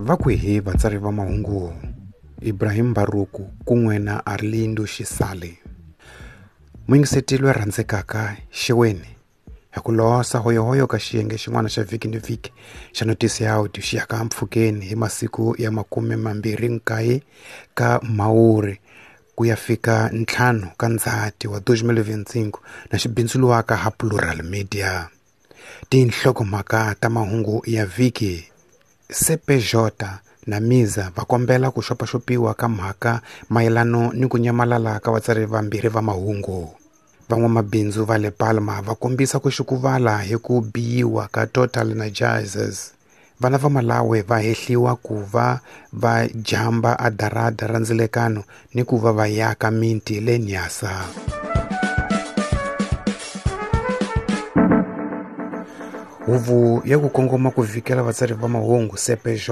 Va kwihi vatsari va mahungu Ibrahim Mbaruku kun'we na Arlindo Xisale? Muyingiseti loyi rhandzekaka xeweni hi ku losa hoyohoyo ka xiyenge xin'wana xa vhiki ni vhiki xa notisi ya audio xi yaka mpfhukeni hi masiku ya 29 ka Mhawuri ku ya fika 5 ka Ndzhati wa 2025 na xi bindzuriwaka ha Plural Media. Tinhlokomhaka ta mahungu ya vhiki: CPJ na MISA va kombela ku xopaxopiwa ka mhaka mayelano ni ku nyamalala ka vatsari vambirhi va mahungu. Van'wamabindzu va le Palma va kombisa ku xukuvala hi ku biyiwa ka Total Energizers. Vana va Malawi va hehliwa ku va va jamba a darada ra ndzilekano ni ku va va yaka miti le Nyasa. Huvo ya ku kongoma ku vikela vatsari va mahungu CPJ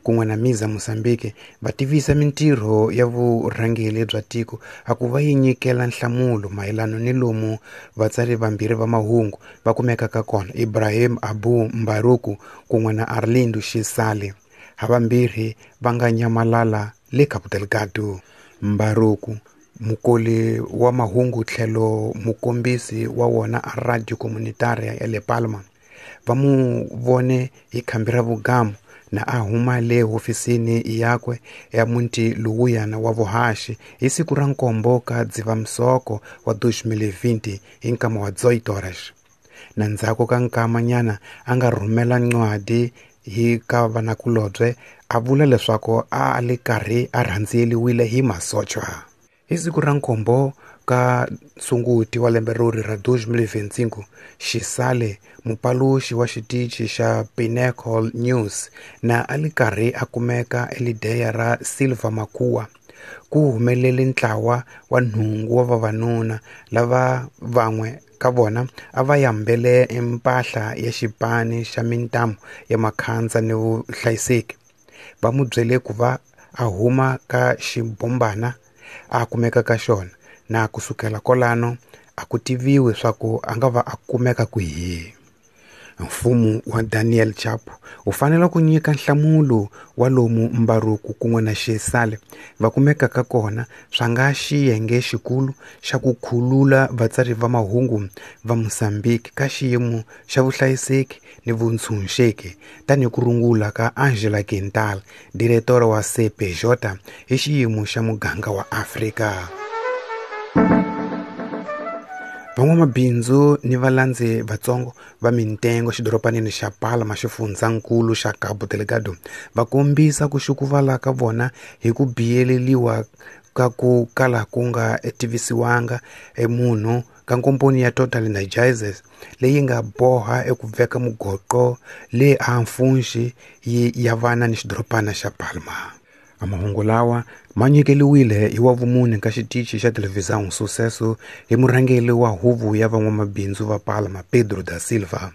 kun'we na MISA Mozambique va tivisa mintirho ya vurhangeri bya tiko a ku va yi nyikela nhlamulo mayelano ni lomu vatsari vambirhi va mahungu va kumekaka kona, Ibrahim Abu Mbaruku kun'we na Arlindo Xisale, havambirhi va nga nyamalala le Cabo Delgado. Mbaruku, mukoli wa mahungu tlhelo mukombisi wa wona a Radio Comunitaria ya le Palma, va mu vone hi khambi ra vugamu na a huma le hofisini yakwe ya muti lowuyana wa vuhaxi hi siku ra 7 ka Dzivamisoko wa 2020 hi nkama wa 18 horas. Na ndzhaku ka nkamanyana a nga rhumela ncwadi hi ka vanakulobye a vula leswaku a li karhi a rhandziyeliwile hi masocha. Hi siku ra 7 ka Sunguti wa lembe rori ra 2025, Xisale, mupaluxi wa xitichi xa Pinnacle News, na a li karhi a kumeka elideya ra Silva Makua, ku humelele ntlawa wa 8 wa vavanuna lava van'we ka vona a va yambele mpahla ya xipani xa mintamu ya makhandza ni vuhlayiseki. Va mu byele ku va a huma ka xibombana a kumeka ka xona, na kusukela kolano a ku tiviwi swa ku a nga va a kumeka kwihi. Mfumo wa Daniel Chapo wu fanele ku nyika nhlamulo wa lomu Mbaruku kun'we na Xisale va kumekaka kona swa nga xiyenge xikulu xa ku khulula vatsari va mahungu va Mozambique ka xiyimo xa vuhlayiseki ni vuntshunxeki, tanihi ku rungula ka Angela Quintal, diretora wa CPJ hi xiyimo xa muganga wa Afrika. Van'wamabindzu ni valandzi vatsongo va mintengo xidoropanini xa Palma xifundzankulu xa Cabo Delgado va kombisa ku xukuvala ka vona hi ku biyeleliwa ka ku kala ku nga tivisiwanga munhu ka nkomponi ya Total Energizers leyi nga boha eku veka mugoqo le Anfunxi yi ya vana ni xidorobana xa Palma. Mahungu lawa ma nyikeliwile hi wa vumune ka xitichi xa televhizão Sucesso hi murhangeri wa huvo ya van'wamabindzu va Palma Pedro da Silva,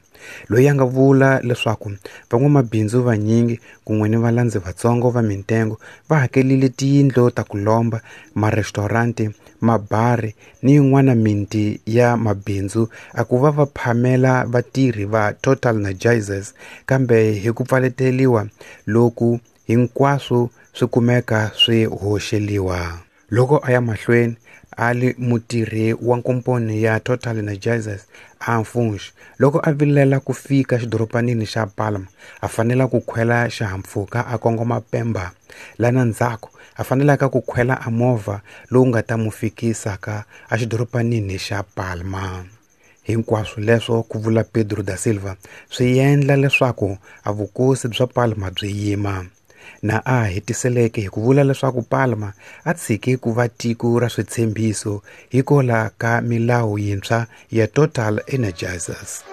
loyi a nga vula leswaku van'wamabindzu vanyingi kun'we ni valandzi vatsongo va mintengo va hakelile tiyindlu ta ku lomba, marestaurant, mabari ni yin'wana miti ya mabindzu a ku va va phamela vatirhi va Total Energizers, kambe hi ku pfaleteliwa loku hinkwaswo swi kumeka swi hoxeliwa. Loko a ya mahlweni a li mutirhi wa nkomponi ya Total Energizers Anfunxi, loko a vilela ku fika xidoropanini xa Palma a fanela ku khwela xihahampfhuka a kongoma Pemba, lana ndzhaku a fanelaka ku khwela a movha lowu nga ta mu fikisaka a xidoropanini xa Palma. Hinkwaswo leswo, ku vula Pedro da Silva, swi endla leswaku a vukosi bya Palma byi yima. Na a hetiseleke hi ku vula leswaku Palma a tshike ku va tiko ra switshembiso hikola ka milawu yintshwa ya Total Energizers.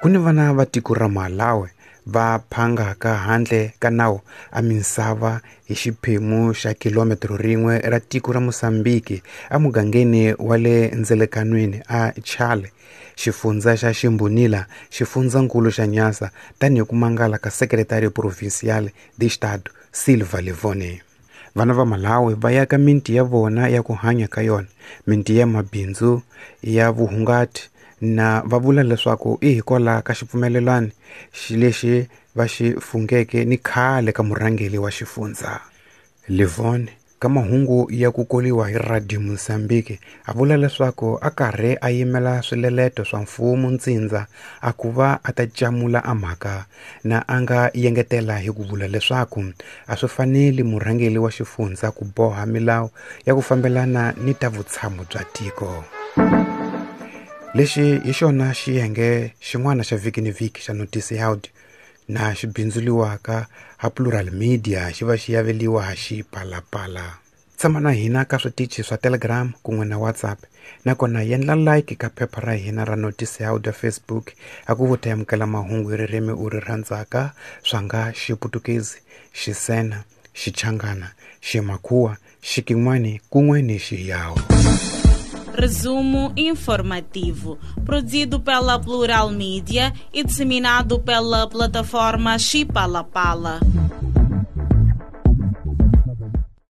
Ku ni vana va tiko ra Malawi va phangaka handle ka nawu a misava hi xiphemu xa kilometro rin'we ra tiko ra Mozambique emugangeni wa le ndzelekanweni a Chale, xifundza xa Ximbonila, xifundzankulu xa Nyasa, tanihi ku mangala ka Secretario Provincial de Estado Silva Livone. Vana va Malawi va yaka miti ya vona ya ku hanya ka yona, miti ya mabindzu ya vuhungati Na va vula leswaku i hikwalaho ka xipfumelelano lexi va xi fungeke ni khale ka murhangeri wa xifundza. Livon ka mahungu ya ku koliwa hi Radio Mozambique a vula leswaku a karhi a yimela swileleto swa mfumo ntsindza a ku va a ta camula a mhaka, na a nga yengetela hi ku vula leswaku a swi faneli murhangeri wa xifundza ku boha milawu ya ku fambelana ni ta vutshamo bya tiko. Lexi hi xona xiyenge xin'wana xa vhiki ni vhiki xa Notice Out na xi bindzuriwaka ha Plural Media xi va xi yaveliwa ha Xipalapala. Tshama na hina ka switichi swa Telegram kun'we na WhatsApp, nakona yendla like ka phepha ra hina ra Notice Out ya Facebook a ku vuta amukela mahungu hi ririmi u ri rhandzaka swa nga Xiputukezi, Xisena, Xichangana, Ximakhuwa, Xikin'wani kun'we ni Xiyawu. Resumo informativo, produzido pela Plural Mídia e disseminado pela plataforma Xipalapala.